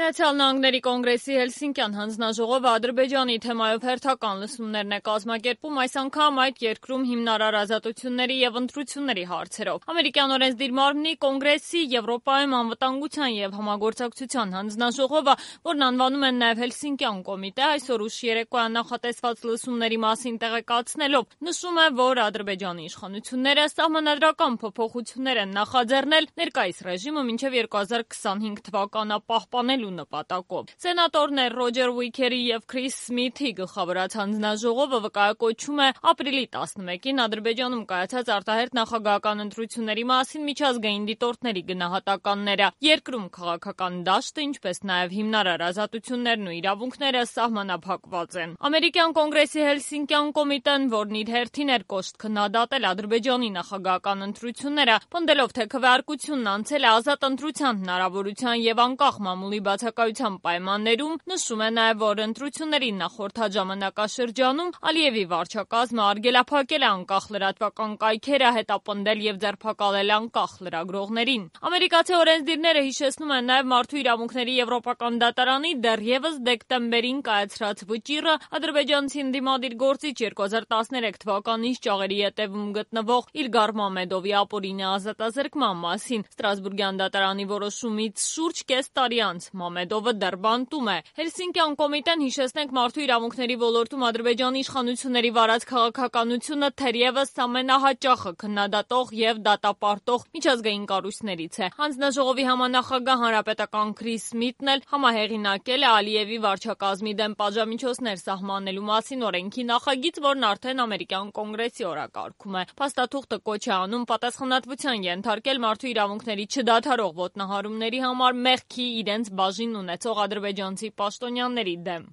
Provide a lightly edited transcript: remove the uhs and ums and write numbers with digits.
Միացյալ Նահանգների կոնգրեսի Հելսինկյան հանձնաժողովը Ադրբեջանի թեմայով հերթական լսումներն է կազմակերպում, այս անգամ այդ երկրում հիմնարար ազատությունների եւ ընտրությունների հարցերով։ Ամերիկյան օրենսդիր մարմնի կոնգրեսի Եվրոպայում անվտանգության եւ համագործակցության հանձնաժողովը, որն անվանում են նաեւ Հելսինկյան կոմիտե, այսօր ուշ երեկոյան նախատեսված լսումների մասին տեղեկացնելով նշում է, որ Ադրբեջանի իշխանությունները սահմանադրական փոփոխություններ են նախաձեռնել ներկայիս ռեժիմը մինչեւ 2025 թվականը պահպանելու նպատակով։ Սենատորներ Ռոջեր Ուիկերի եւ Քրիս Սմիթի գլխավորած հանձնաժողովը վկայակոչում է ապրիլի 11-ին Ադրբեջանում կայացած արտահերթ նախագահական ընտրությունների մասին միջազգային դիտորդների գնահատականները։ Երկրում քաղաքական դաշտը, ինչպես նաեւ հիմնարար ազատություններն ու իրավունքները սահմանափակված են։ Ամերիկյան կոնգրեսի Հելսինկյան կոմիտեն, որն իր հերթին էր կոշտ քննադատել Ադրբեջանի նախագահական ընտրությունները, պնդելով, թե քվեարկությունն անցել է ազատ ընտրության հնարավորության եւ անկախ մամուլի բացակայության պայմաններում, նշում է նաեւ, որ ընտրությունների նախորդ ժամանակաշրջանում Ալիևի վարչակազմը արգելափակել է անկախ լրատվական կայքերը, հետապնդել եւ ձերբակալել անկախ լրագրողներին։ Ամերիկացի օրենսդիրները հիշեցնում են նաեւ Մարդու իրավունքների եվրոպական դատարանի դեռևս դեկտեմբերին կայացրած վճիռը ադրբեջանցի ընդդիմադիր գործիչ 2013 թվականի շճաղերի ետևում գտնվող Իլգար Մամեդովի ապօրինի ազատազրկման մասին։ Ստրասբուրգյան դատարանի որոշումից շուրջ կես տարի անց Մամեդովը դեռ բանտում է։ Հելսինկյան կոմիտեն, հիշեցնենք, մարդու իրավունքների ոլորտում Ադրբեջանի իշխանությունների վարած քաղաքականությունը թերևս ամենահաճախը քննադատող եւ դատապարտող միջազգային կառույցներից է։ Հանձնաժողովի համանախագահ հանրապետական Քրիս Սմիթն էլ համահեղինակել է Ալիևի վարչակազմի դեմ պատժամիջոցներ սահմանելու մասին օրենքի նախագիծ, որն արդեն ամերիկյան կոնգրեսի օրակարգում է։ Փաստաթուղթը կոչ է անում պատասխանատվության ենթարկել մարդու իրավունքների չդադարող ոտնահարումների համար մեղքի իրենց բաժին ունեցող ադրբեջանցի պաշտոնյաների դեմ։